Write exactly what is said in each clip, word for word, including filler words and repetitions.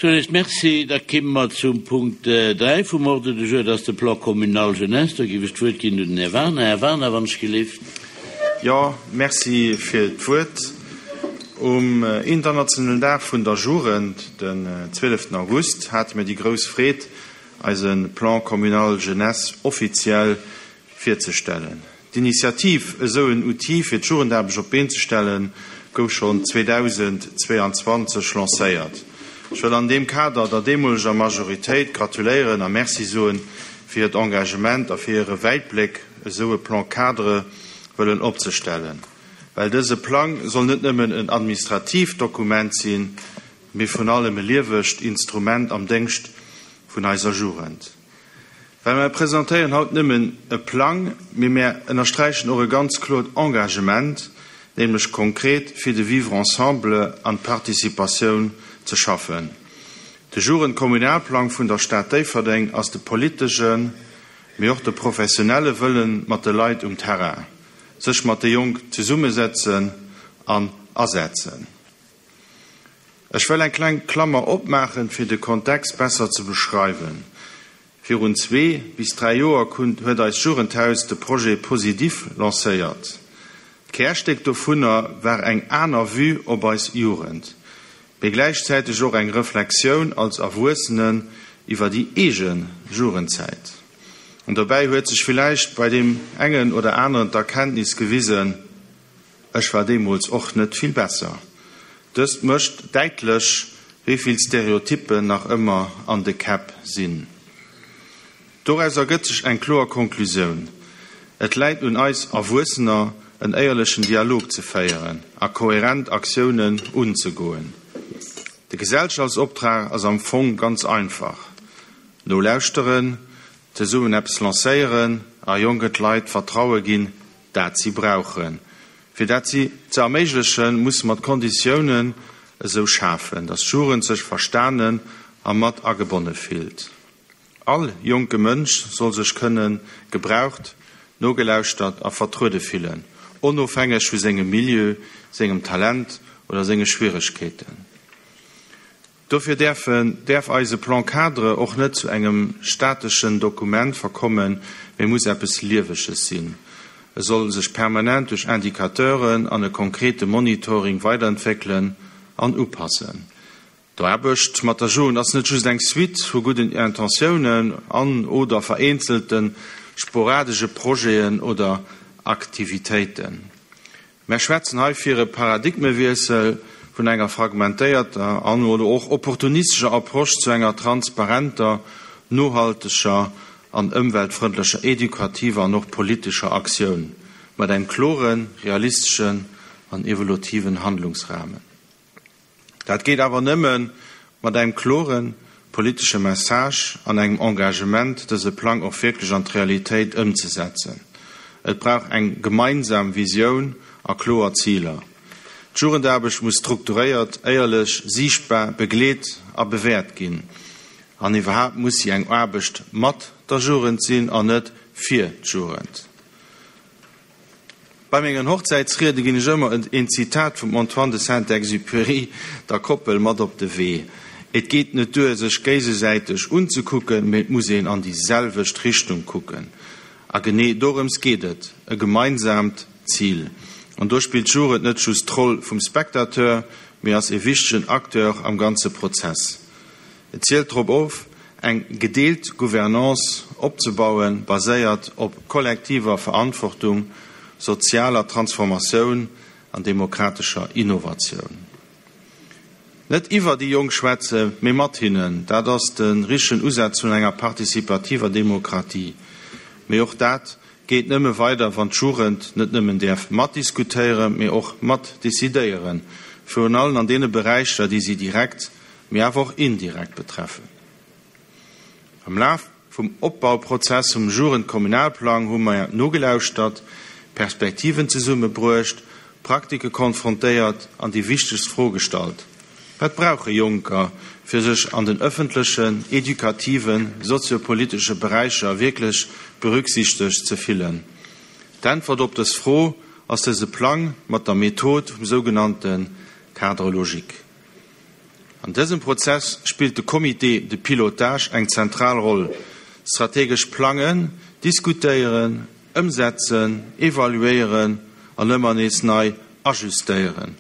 Sou, merci. Da komme mer zum Punkt dräi vum Ordre du jour, dat ass de Plan communal jeunesse. Do géif ech d'Wuert ginn un den Här Werner. Här Werner, wann ech gelift. Jo, merci fir d'Wuert. Um internationalen Dag vun der Jugend, den zwieleften August, hate mir déi grouss Freed, eise Plan communal jeunesse offiziell virzestellen. D'Initiativ, esou en Outil fir d'Jugendaarbecht op d'Been ze stellen, gouf schonn zweedausendzweeanzwanzeg lancéiert. Ech wëll an deem Kader der deemoleger Majoritéit gratuléieren a Merci soen fir hiert Engagement a fir hire Wäitbléck, esou e Plan cadre wëllen opzestellen. Well dëse Plang soll net nëmmen en administratiivt Dokument sinn, mee vrun allem e liewegt Instrument am Déngscht vun eiser Jugend. Well mär presentéieren haut nëmmen e Plang, mee mär ënnersträichen och e ganz kloert Engagement, nämlech konkret fir de Vivre ensemble an d'Participatioun ze schaffen. De Jugendkommunalplang vun der Stad Déifferdeng ass de politeschen, mee och de professionelle Wëllen mat de Leit um Terrain, sech mat de Jonk zesummesetzen an asetzen. Ech wëll eng kleng Klammer opmaachen, fir de Kontext besser ze beschreiwen. Virun zwee bis dräi Joer huet eist Jugendhaus de Projet Positif lancéiert. D'Kärstéck dovunner war eng aner Vue op eis Jugend, mee gläichzäiteg och eng Reflexioun als Erwuessenen iwwer déi eege Jugendzäit. An dobäi huet sech villäicht bei deem engen oder aneren d'Erkenntnis gewisen, Ech war deemools och net vill besser. Dëst mécht däitlech, wéi vill Stereotyppen nach ëmmer an de Käpp sinn. Doraus ergëtt sech eng kloer Konklusioun, Et läit un eis Erwuessener, en éierlechen Dialog ze féieren a kohärent Aktiounen unzegoen. De Gesellschaftsoptrag ass am Fong ganz einfach, Nolauschteren, zesummen eppes lancéieren a jonke Leit d'Vertraue ginn, dat si brauchen. Fir dat si ze erméiglechen, musse mer d'Konditiounen esou schafen, datt d'Jugend sech verstanen a mat agebonne fillt. All jonke Mënsch soll sech kënne gebraucht, nogelauschtert a vertruede fillen, onofhängeg vu sengem Milieu, sengem Talent oder senge Schwieregkeeten. Dofir däerfen, däerf eise Plan cadre och net zu engem stateschen Dokument verkommen, mee muss eppes Lieweges sinn. E soll sech permanent duerch Indicateuren an e konkrete Monitoring weiderentwéckelen an upassen. D'Aarbecht mat der Jugend ass net just eng Suite vu gudden Intentiounen an oder vereenzelte sporadesche Projeten oder Aktivitéiten. Mär schwätzen hei fir e Paradigmewiessel vun enger fragmentéierter an oder och opportunistescher Approche zu enger transparenter, nohalteger an ëmweltfrëndlecher edukativer an och politescher Aktioun mat engem kloren, realisteschen an evolutiven Handlungsrahmen. Dat geet awer nëmme mat engem kloren politesche Message an engem Engagement, dëse Plang och wierklech an d'Realitéit ëmzesetzen. Et brauch eng gemeinsam Visioun a kloer Ziler. D'Jugendaarbecht muss strukturéiert, éierlech, siichtbar, begleet a bewäert ginn. An iwwerhaapt muss si eng Aarbecht mat der Jugend sinn an net fir d'Jugend. Bei mengen Hochzäitsriede ginn ech ëmmer een Zitat vum Antoine de Saint-Exupéry der Koppel mat op de Wee, Et geet net duer, sech géigesäiteg unzekucken, mee et muss een an déi selwecht Richtung kucken. A genee dorëms geet et, e gemeinsaamt Zil. An do spillt d'Jugend net just d'Roll vum Spectateur, mee ass e wichtegen Acteur am ganze Prozess. Et zielt drop of, eng gedeelt Gouvernance opzebauen, baséiert op kollektiver Verantwortung, sozialer Transformatioun an demokratescher Innovatioun. Net iwwer déi Jonk schwätzen, mee mat hinnen, dat ass de richtegen Usaz vun enger participativer Demokratie. Mee och dat geet nëmme weider, wann d'Jugend net nëmmen däerf matdiskutéieren, mee och matdecidéieren, virun allem an deene Beräicher, déi si direkt, mee awer och indirekt betreffen. Am Laf vum Opbauprozess vum Jugendkommunalplang hu mer nogelauschtert, Perspektiven zesummebruecht, Praktike konfrontéiert an déi wichtegst Fro gestallt, Wat brauche Jonker, fir sech an den ëffentlechen, edukativen, soziopolitesche Beräicher wierklech berücksichtegt ze fillen? D'Äntwert op dës Fro ass dëse Plang mat der Method vum sougenannte Cadre logique. An dësem Prozess spillt de Comité de pilotage eng zentral Roll. Strategesch plangen, diskutéieren, ëmsetzen, evaluéieren an ëmmer nees nei ajustéieren.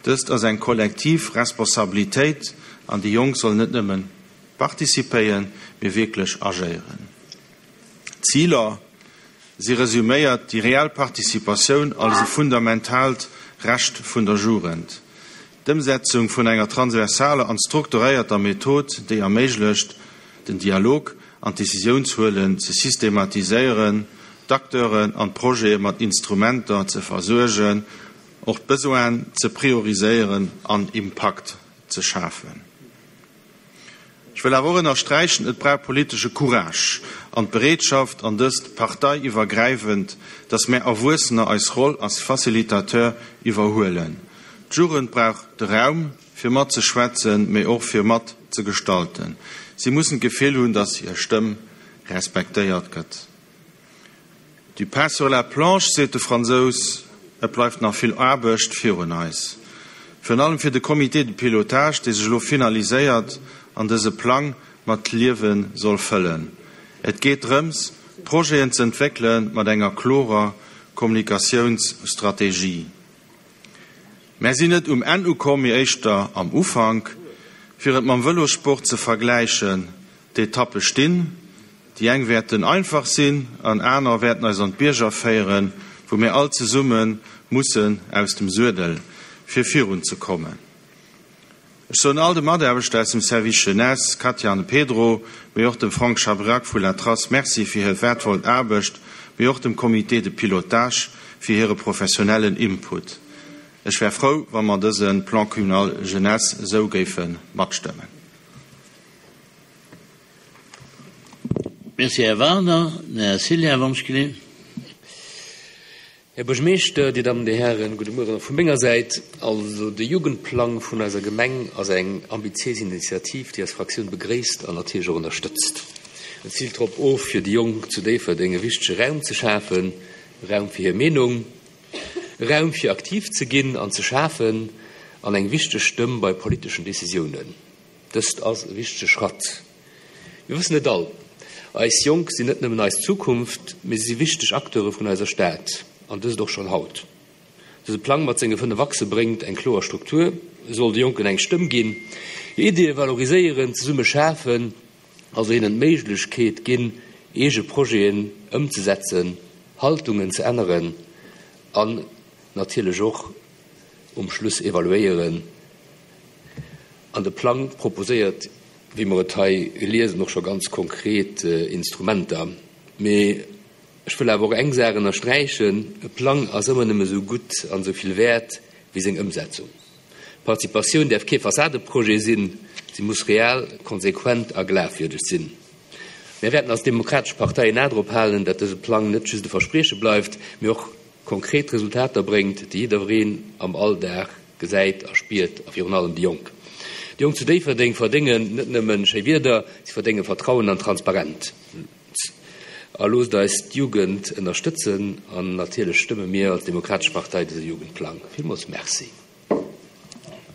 Dëst ass eng kollektiv Responsabilitéit an déi Jonk sollen net nëmmen participéieren, mee wierklech agéieren. Ziler Si resuméiert déi reell Participatioun als e fundamentaalt Recht vun der Jugend. D'Ëmsetzung vun enger transversaler an strukturéierter Method, déi erméiglecht, den Dialog an d'Decisiounshuelen ze systematiséieren, d'Acteuren an d'Projete mat Instrumenter ze versuergen, och d'Besoinen ze prioriséieren an Impakt ze schafen. Ech wëll awer och ënnersträichen, Et brauch politesche Courage an d'Bereetschaft, an dëst parteiiwwergräifend, dass mär Erwuessener eis Roll als Facilitateur iwwerhuelen. D'Jugend brauch de Raum, fir matzeschwätzen, mee och fir mat ze gestalten. Si mussen d'Gefill hunn, dass hir Stëmm respektéiert gëtt. Du pain sur la planche, seet de Fransous. Et bleift nach vill Aarbecht virun eis. Virun allem fir de Comité de pilotage, dee sech elo finaliséiert an dëse Plang mat Liewe soll fëllen. Et geet drëms, Projeten ze entwéckele mat enger klorer Kommunikatiounsstrategie. Mär sinn net um Enn ukomm, mee éischter am Ufank. Fir et mam Vëlossport ze vergläichen, d'Etappe stinn. Déi eng wäerten einfach sinn an aner wäerten eis an d'Bierger féieren, wou mir all zesumme mussen aus dem Suedel, fir virun ze kommen. Ech soen all de Mataarbechter aus dem Service Jeunesse, Katja an de Pedro, mee och dem Frank Chabrac vu La Trace Merci fir hir wäertvoll Aarbecht, mee och dem Comité de pilotage fir hire professionellen Input. Ech wär frou, wa mer dëse Plan communal jeunesse esou géife matstëmmen. Merci, Här Wagner. Den Här Cillien, wann ech geleeën. Här Buergermeeschter, Dir Dammen, Dir Hären, gudde Mueren och vu menger Säit. Also de Jugendplang vun eiser Gemeng ass eng ambitiéis Initiativ, déi eis Fraktioun begréisst an natierlech och ënnerstëtzt. En ziilt drop of, fir déi Jonk zu Déifferdeng e wichtege Raum ze schafen, e Raum fir hir Meenung, e Raum fir aktiv ze ginn an ze schafen an eng wichteg Stëmm bei politeschen Decisiounen. Dëst ass e wichtege Schratt. Mir wëssen et all, Eis Jonk sinn net nëmmen eis Zukunft, mee si si wichteg Acteure vun eiser Stad, an dëst och schonn haut. Dëse Plang mat senge fënnef Achse bréngt eng kloer Struktur, e soll de Jonken eng Stëmm ginn, hir Iddie valoriséieren, zesumme schafen, also hinnen d'Méiglechkeet ginn, eege Projeten ëmzesetzen, Haltungen ze änneren an natierlech och um Schluss evaluéieren. An de Plang proposéiert, wéi mer et hei liesen, och scho ganz konkret Instrumenter. Mee ech wëll awer och eng Saach ënnersträichen, E Plang ass ëmmer nëmme esou gutt an esou vill wäert wéi seng Ëmsetzung. Participatioun däerf kee Fassadeprojet sinn, si muss real, konsequent a glafwierdeg sinn. Mär wäerten als Demokratesch Partei en A drop halen, dat dëse Plang net just e Versprieche bleift, mee och konkret Resultater bréngt, déi jiddereen am Alldag gesäit a spiert, a virun allem déi Jonk. Déi Jonk zu Déifferdeng verdéngen net nëmme schéi Wierder, si verdénge Vertrauen an Transparenz. A loosst eis d'Jugend ënnerstëtzen an natierlech stëmme mir als Demokratesch Partei dëse Jugendplang. Villmools Merci.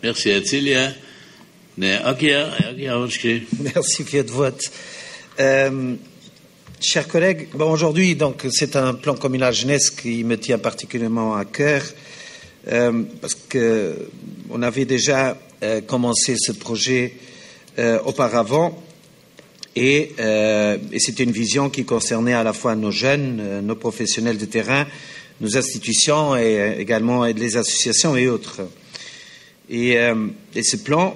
Merci, Här Cillien. Den Här Aguiar, Här Aguiar, wann ech kritt. Merci fir d'Wuert. Chers collègues, bon, aujourd'hui, donc, c'est un plan communal jeunesse qui me tient particulièrement à cœur, euh, parce que on avait déjà euh, commencé ce projet euh, auparavant, et, euh, et c'était une vision qui concernait à la fois nos jeunes, euh, nos professionnels de terrain, nos institutions et euh, également les associations et autres. Et, euh, et ce plan,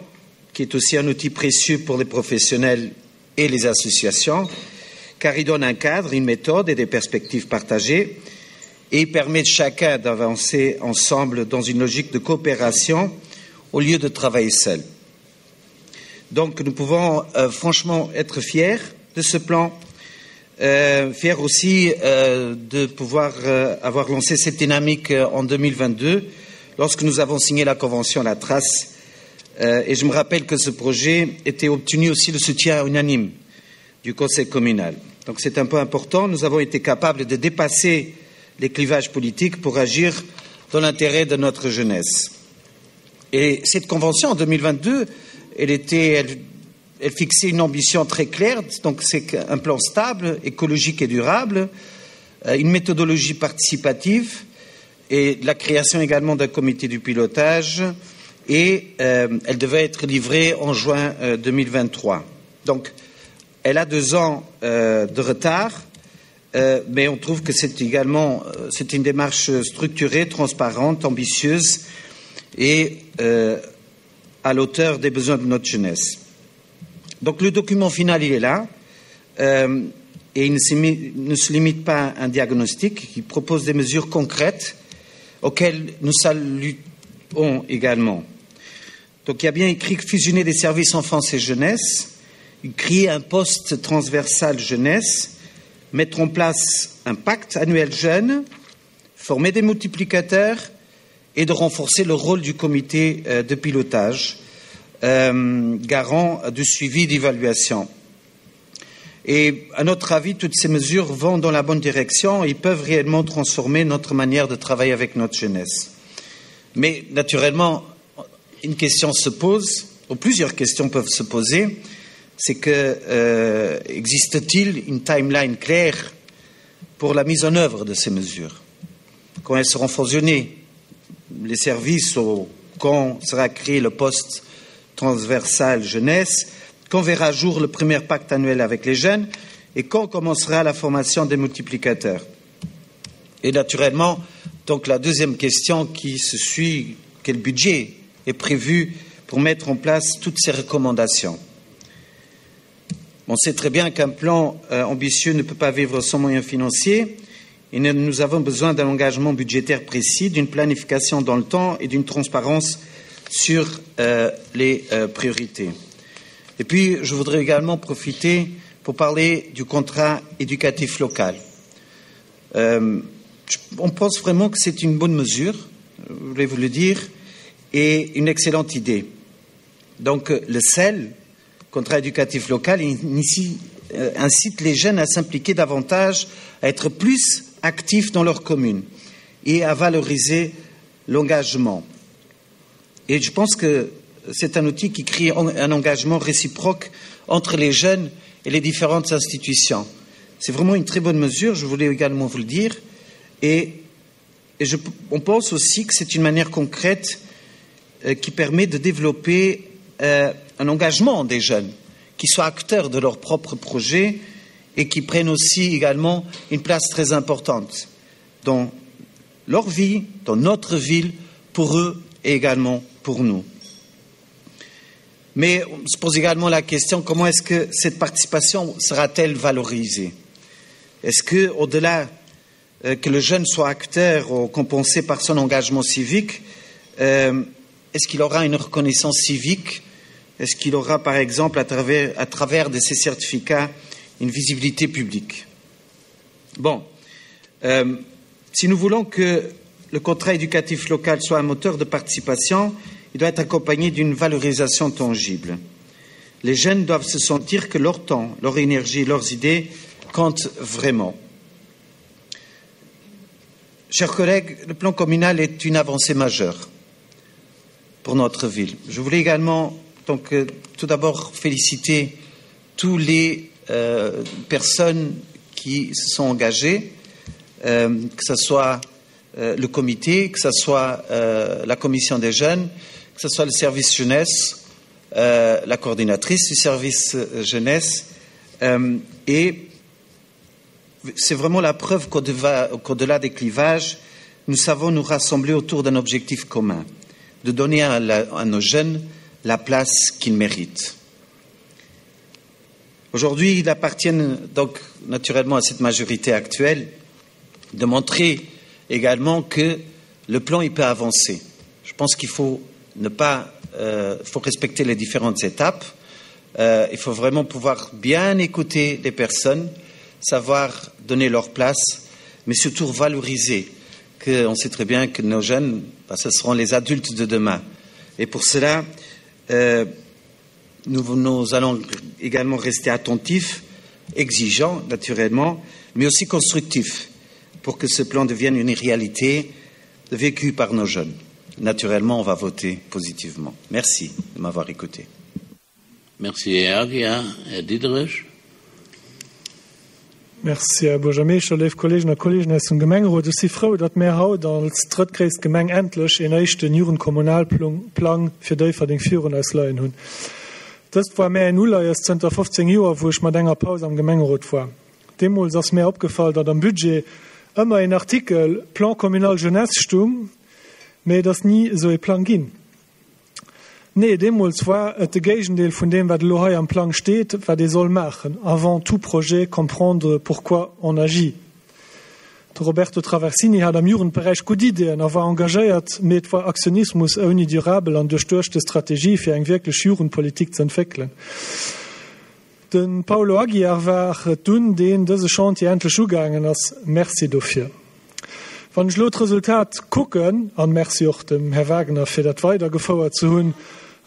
qui est aussi un outil précieux pour les professionnels et les associations, car il donne un cadre, une méthode et des perspectives partagées et il permet de chacun d'avancer ensemble dans une logique de coopération au lieu de travailler seul. Donc nous pouvons euh, franchement être fiers de ce plan, euh, fiers aussi euh, de pouvoir euh, avoir lancé cette dynamique euh, en deux mille vingt-deux lorsque nous avons signé la convention La Trace. Euh, et je me rappelle que ce projet était obtenu aussi le soutien unanime du Conseil communal. Donc c'est un peu important. Nous avons été capables de dépasser les clivages politiques pour agir dans l'intérêt de notre jeunesse. Et cette convention en deux mille vingt-deux Elle était, elle, elle fixait une ambition très claire, donc c'est un plan stable, écologique et durable, euh, une méthodologie participative et la création également d'un comité du pilotage et euh, elle devait être livrée en juin euh, deux mille vingt-trois. Donc, elle a deux ans euh, de retard, euh, mais on trouve que c'est également, euh, c'est une démarche structurée, transparente, ambitieuse et, euh, à l'auteur des besoins de notre jeunesse. Donc le document final, il est là, euh, et il ne se mi-, ne se limite pas à un diagnostic, il propose des mesures concrètes auxquelles nous saluons également. Donc il y a bien écrit que fusionner les services enfance et jeunesse, créer un poste transversal jeunesse, mettre en place un pacte annuel jeune, former des multiplicateurs et de renforcer le rôle du comité, euh, de pilotage, euh, garant du suivi d'évaluation. Et à notre avis, toutes ces mesures vont dans la bonne direction et peuvent réellement transformer notre manière de travailler avec notre jeunesse. Mais naturellement, une question se pose, ou plusieurs questions peuvent se poser, c'est que, euh, existe-t-il une timeline claire pour la mise en œuvre de ces mesures? Quand elles seront fusionnées, les services, ou quand sera créé le poste transversal jeunesse, quand verra jour le premier pacte annuel avec les jeunes et quand commencera la formation des multiplicateurs. Et naturellement, donc la deuxième question qui se suit, quel budget est prévu pour mettre en place toutes ces recommandations? On sait très bien qu'un plan, euh, ambitieux ne peut pas vivre sans moyens financiers et nous, nous avons besoin d'un engagement budgétaire précis, d'une planification dans le temps et d'une transparence sur, euh, les, euh, priorités. Et puis, je voudrais également profiter pour parler du contrat éducatif local. Euh, je, on pense vraiment que c'est une bonne mesure, je voulais vous le dire, et une excellente idée. Donc, le C E L, contrat éducatif local, initie, euh, incite les jeunes à s'impliquer davantage, à être plus actifs dans leur commune et à valoriser l'engagement. Et je pense que c'est un outil qui crée en-, un engagement réciproque entre les jeunes et les différentes institutions. C'est vraiment une très bonne mesure, je voulais également vous le dire. Et, et je, on pense aussi que c'est une manière concrète, euh, qui permet de développer, euh, un engagement des jeunes, qui soient acteurs de leur propre projet et qui prennent aussi également une place très importante dans leur vie, dans notre ville, pour eux et également pour nous. Mais on se pose également la question, comment est-ce que cette participation sera-t-elle valorisée ? Est-ce que, au-delà, euh, que le jeune soit acteur ou compensé par son engagement civique, euh, est-ce qu'il aura une reconnaissance civique ? Est-ce qu'il aura, par exemple, à travers, à travers de ces certificats, une visibilité publique ? Bon, euh, si nous voulons que le contrat éducatif local soit un moteur de participation, il doit être accompagné d'une valorisation tangible. Les jeunes doivent se sentir que leur temps, leur énergie, leurs idées comptent vraiment. Chers collègues, le plan communal est une avancée majeure pour notre ville. Je voulais également, donc, euh, tout d'abord féliciter toutes les, euh, personnes qui se sont engagées, euh, que ce soit, euh, le comité, que ce soit, euh, la commission des jeunes, que ce soit le service jeunesse, euh, la coordinatrice du service, euh, jeunesse. Euh, et c'est vraiment la preuve qu'au-delà, qu'au-delà des clivages, nous savons nous rassembler autour d'un objectif commun, de donner à, la, à nos jeunes la place qu'ils méritent. Aujourd'hui, il appartient donc naturellement à cette majorité actuelle de montrer également que le plan il peut avancer. Je pense qu'il faut ne pas, euh, faut respecter les différentes étapes. Euh, il faut vraiment pouvoir bien écouter les personnes, savoir donner leur place, mais surtout valoriser. Que on sait très bien que nos jeunes, bah, ce seront les adultes de demain. Et pour cela, euh, nous, nous allons également rester attentifs, exigeants naturellement, mais aussi constructifs pour que ce plan devienne une réalité vécue par nos jeunes. Naturellement, on va voter positivement. Merci de m'avoir écouté. Merci, Här Aguiar. Här Diderich. Merci, Här Buergermeeschter, léif Kolleegen a Kolleegen aus dem Gemengerot. Ech si frou, datt mär haut als drëttgréisst Gemeng endlech een éischten Jugendkommunalplang fir Déifferdeng virun eis leien hunn. Dëst war mär en Uleies zënter fofzéng Joer, wou ech mat enger Paus am Gemengerot war. Deemools ass mär opgefall, datt am Budget ëmmer een Artikel Plan communal jeunesse stung, mee et ass ni esou ee Plang ginn. Nee, deemools war et de Géigendeel vun deem, wat elo hei am Plang steet, wat ee soll maachen, Avant tout projet, comprendre pourquoi on agit. De Roberto Traversini hat am Jugendberäich gutt Ideeën a war engagéiert, mee et war Aktionismus ouni durabel an duerchduechte Strategie, fir eng wierklech Jugendpolitik ze entwéckelen. De Paulo Aguiar war et dunn, deen dëse Chantier endlech ugaangen ass. Merci dofir. Wann ech elo d'Resultat kucken, an Merci och dem Här Wagner fir dat weidergefouert ze hunn,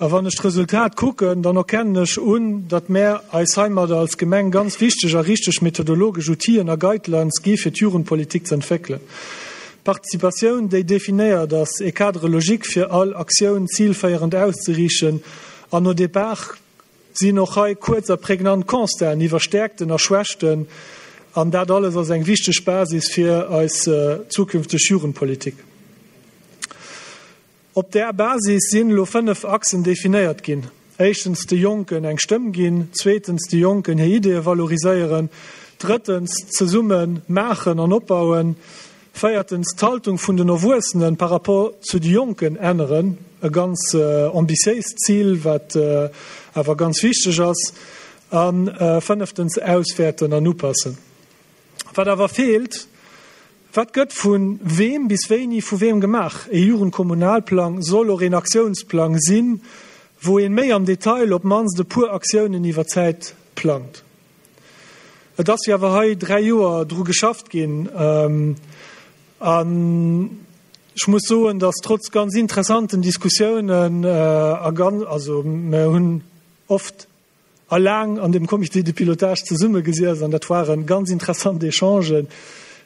a wann ech d'Resultat kucken, dann erkennen ech un, datt mär eis heimadder als Gemeng ganz wichteg a richteg methodologesch Outiller a Guidelines gi fir d'Jugendpolitik ze entwéckelen. Participatioun, déi definéiert ass, e Cadre logique fir all Aktioun zilféierend auszeriichten an au départ sinn och hei kuerz a prägnant Constaten iwwer Stäerkten a Schwächten an dat alles ass eng wichteg Basis fir eis zukünfteg Jugendpolitik. Op där Basis sinn elo fënnef Achsen definéiert ginn, éischtens de Jonken eng Stëmm ginn, zweetens de Jonken hir Ideeë valoriséieren, drëttens zesumme maachen an opbauen, véiertens d'Haltung vun den Erwuessene par rapport zu de Jonken änneren, e ganz ambitiéist Zil, wat awer ganz wichteg ass, a fënneftens auswäerten an upassen. Wat awer feelt, Wat gëtt vu weem bis wéini vu weem gemaach? E Jugendkommunalplang soll och een Aktiounsplang sinn, wou een méi am Detail op d'mannst e puer Aktiounen iwwer d'Zäit plangt. Et ass jo awer hei dräi Joer dru geschafft ginn an ech muss soen, datt trotz ganz interessanten Diskussiounen a ganz, also mer hunn oft a laang an dem Comité de pilotage zesummegesiess an dat waren ganz interessant Echangen,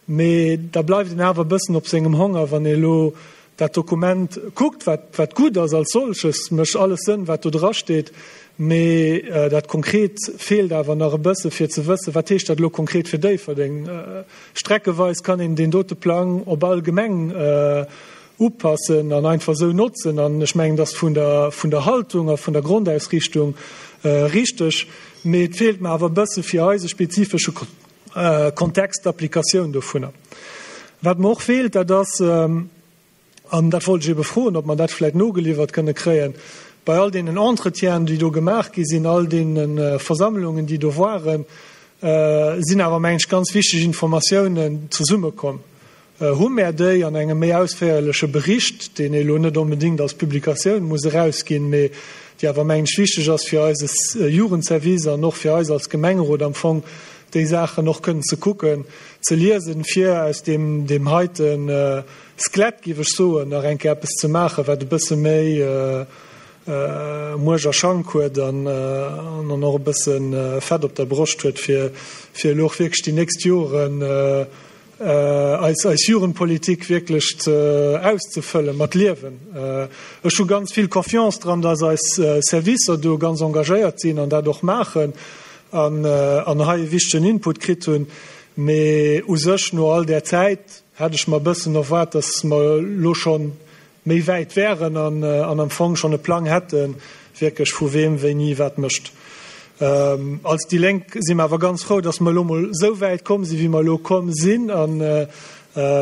mee da bleift een awer e bëssen op sengem Honger, wann ee elo dat Dokument kuckt, wat, wat gutt ass als solches, mécht alles Sënn, wat do drasteet, mee dat Konkret feelt awer nach e bësse fir ze wëssen, wat heescht dat elo konkret fir Déifferdeng. Streckeweis kann een deen dote Plang op all Gemeng upassen an einfach esou notzen. An ech mengen, dass vun der, vun der Haltung a vun der Grondausrichtung richteg, mee et feelt mer awer e bësse fir eise spezifesche Kontext d'Applikatioun dovunner. Wat mer och feelt, dat ass, an dat wollt ech ebe froen, ob mer dat vläicht nogeliwwert kënne kréien, bei all deenen Entretienen, déi do gemaach gi sinn, all deene Versammlungen, déi do waren, sinn awer, mengen ech, ganz wichteg Informatiounen zesummekomm. Hu mär déi an engem méi ausféierleche Bericht, deen ee elo net onbedéngt als Publikatioun muss erausginn, mee déi awer, mengen ech, wichteg ass fir eise Jugendservice an och fir eis als Gemengerot am Fong, déi Saachen och kënnen ze kucken, ze liesen, fir aus deem, deem heite Skelett, géif ech soen, nach eng Kéier eppes ze maachen, wat e bësse méi Muerch a Schank huet an an och e bësse Fett op der Broscht huet, fir, fir elo och wierklech déi nächst Joren eis, eis Jugendpolitik wierklech ze auszefëlle mat Liewen. Ech hu ganz vill Confiance dran, dass eis Servicer do ganz engagéiert sinn an dat och maachen an, an hei e wichtegen Input kritt hunn. Mee u sech no all där Zäit hätt ech mer e bëssen erwaart, dass mer elo scho méi wäit wären an, an am Fong schonn e Plang hätten, wierklech vu weem wéini wat mécht. Als déi Lénk si mer awer ganz frou, dass mer elo mol esou wäit komm sinn, wéi mer elo komm sinn, a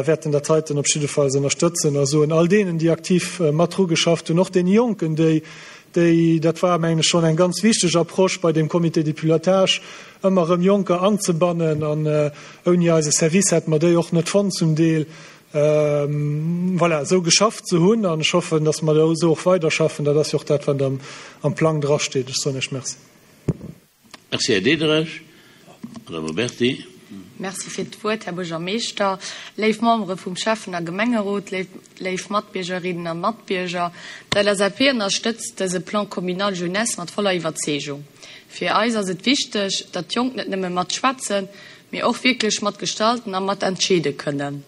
wäerten dat heiten op jiddefalls ënnerstëtzen a soen all deenen, déi aktiv mat dru geschafft hunn, och deene Jonken, déi, déi, dat war, mengen ech, schonn eng ganz wichteg Approche bei deem Comité de pilotage, ëmmer erëm Jonker anzebannen, an ouni eise Service hätte mer déi och net fonnt zum Deel, voilà, esou geschafft ze hunn. An ech hoffen, dass mer esou och weiderschaffen. Dat ass jo och dat, wat am, am Plang drasteet. Ech soen Iech Merci. Merci, Här Diderich. Madame Oberti. Merci fir d'Wuert, Här Buergermeeschter, léif Membere vum Schäffen a Gemengerot, léif, léif Matbiergerinnen a Matbierger. D'L S A P ënnerstëtzt dëse Plan communal jeunesse mat voller Iwwerzeegung. Fir eis ass et wichteg, datt d'Jonk net nëmme matschwätzen, mee och wierklech matgestalten a matentscheede kënnen.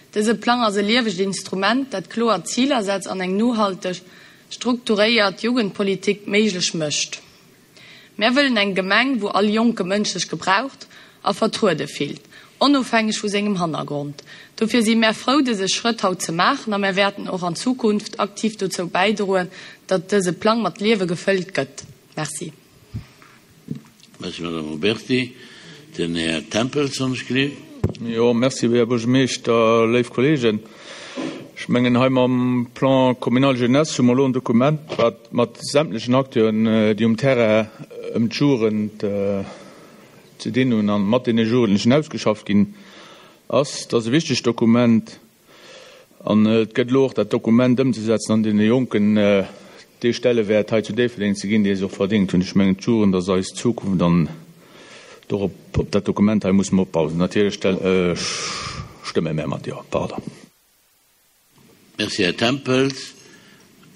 Dëse Plang ass e liewegt Instrument, dat kloer Ziler setzt an eng nohalteg, strukturéiert Jugendpolitik méiglech mécht. Mär wëllen eng Gemeng, wou all jonke Mënsch sech gebraucht a vertruede fillt, onofhängeg vu sengem Hannergrond. Dofir si mär frou, dëse Schrëtt haut ze maachen a mär wäerten och an Zukunft aktiv dozou bäidroen, datt dëse Plang mat Liewe gefëllt gëtt. Merci. Merci, Madame Oberti. Den Här Tempels, wann ech gelift. Jo, merci, Här Buergermeeschter, léif Kolleegen. Ech mengen, hei mam Plan communal jeunesse hu mer elo en Dokument, wat mat sämtlechen Acteuren, déi um Terrain ëm d'Jugend ze dinn hunn an mat deene Jugendlechen ausgeschafft ginn ass. Dat ass e wichtegt Dokument an et gëtt elo och dat Dokument ëmzesetzen an deene Jonken dee Stellewäert hei zu Déifferdeng ze ginn, dee se och verdéngt hunn. Ech mengen, d'Jugend ass eis Zukunft an dorop, op dat Dokument hei musse mer opbauen. Natierlech stëmme mär mat Jo. Pardon. Merci, Här Tempels.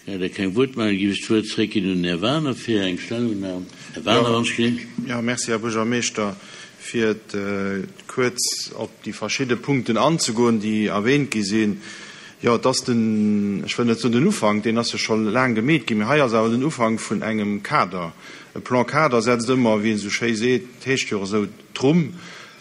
Leider keng Wuertmeldung. Géif ech d'Wuert zréckginn un den Här Werner fir eng Stellungnam. Här Werner, wann ech gelift. Jo, merci, Här Buergermeeschter. Fir kuerz op déi verschidde Punkten anzegoen, déi erwähnt gi sinn. Jo, et ass den, ech wëll net soen den Ufank, deen ass jo scho laang gemeet ginn, mee hei ass awer den Ufank vun engem Kader. E Plan cadre setzt ëmmer, wéi een esou schéi seet, et heescht jo och esou, d'Rumm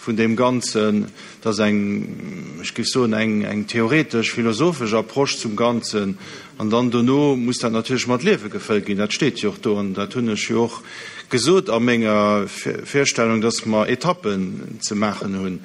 vun deem Ganzen. Et ass eng, ech géif soen, eng, eng theoretesch, philosophesch Approche zum Ganzen. An dann dono muss dat natierlech mat Liewe gefëllt ginn. Dat steet jo och do an dat hunn ech jo och gesot a menger Virstellung, dass mer Etappen ze maachen hunn.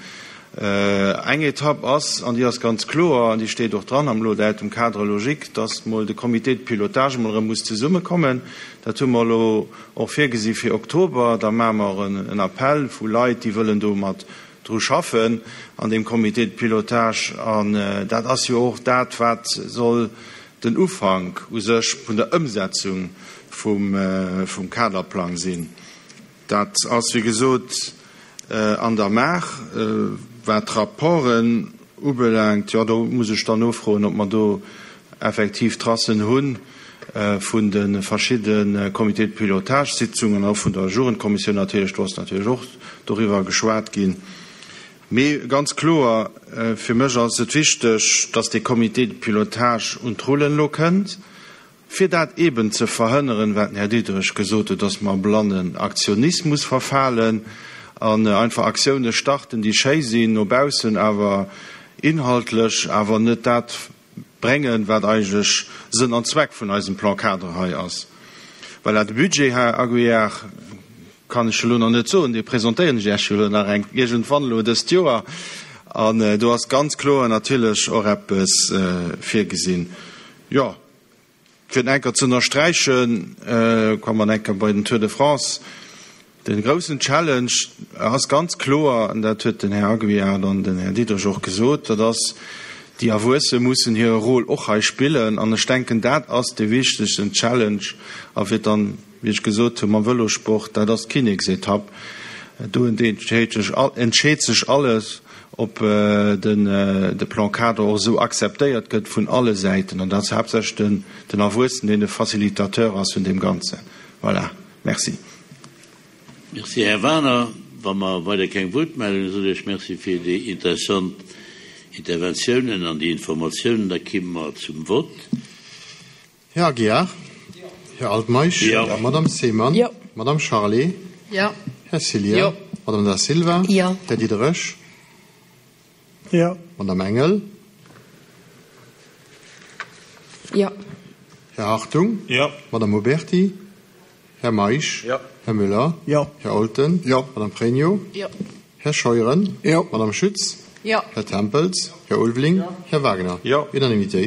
Eng Etapp ass, an déi ass ganz kloer, an déi steet och dran am Lo-Datum cadre logique, dass mol de Comité de pilotage mol erëm muss zesummekommen. Dat hu mer elo och virgesi fir Oktober. Da maache mer en Appel vu Leit, déi wëllen do mat dru schaffen an deem Comité de pilotage. An dat ass jo och dat, wat soll den Ufank u sech vun der Ëmsetzung vum Kaderplang sinn. Dat ass, wéi gesot, an der Maach. Wat d'Rapporten ubelaangt, jo, do muss ech dann nofroen, ob mer do effektiv Tracen hu vun de verschidde Comités de pilotage-Sitzungen an och vun der Jugendkommissioun natierlech. Do ass natierlech och doriwwer geschwat ginn. Mee ganz kloer, fir mech ass et wichteg, dass dee Comité de pilotage un d'Rullen elo kënnt, fir dat eeben ze verhënneren, wat den Här Diderich gesot huet, dass mer a blannen Aktionismus verfalen an einfach Aktioune starten, déi schéi sinn no baussen, awer inhaltlech awer net dat bréngen, wat eigentlech Sënn an Zweck vun eisem Plan cadre hei ass. Voilà, de Budget, Här Aguiar, kann ech elo nach net soen, dee presentéieren ech Iech jo elo nach eng iergendwann elo dëst Joer. An do ass ganz kloer natierlech och eppes virgesinn. Jo, fir et enker ze ënnersträichen, komme mer enker bei den Tour de France. De groussen Challenge ass ganz kloer, an dat huet den Här Aguiar an den Här Diderich och gesot, dat ass, déi Erwuesse mussen hire Rôle och hei spillen. An ech denken, dat ass dee wichtegsten Challenge. A fir dann, wéi ech gesot hunn, mam Vëlosport, dat ass d'Kinneksetapp. Do entscheet sech alles, ob de Plan cadre och esou akzeptéiert gëtt vun alle Säiten. An dat ass haaptsächlech den Erwuessenen, deen de Facilitateur ass vun deem Ganzen. Voilà. Merci. Merci, Här Werner. Wa mer weider keng Wuertmeldungen, soen ech Merci fir déi interessant Interventiounen an déi Informatiounen. Da kimme mer zum Vott. Här Aguiar? Här Altmeisch? Jo. Madame Seemann? Jo. Madame Charlé? Jo. Här Cillien? Jo. Madame Da Silva? Jo. Här Diderich? Jo. Madame Engel? Jo. Här Hartung? Jo. Madame Oberti? Här Meisch? Jo. Här Müller? Jo. Här Olten? Jo. Madame Pregno? Jo. Här Scheuren? Jo. Madame Schütz? Jo. Här Tempels? Här Ulveling? Jo. Här Wagner? Jo. Unanimitéit.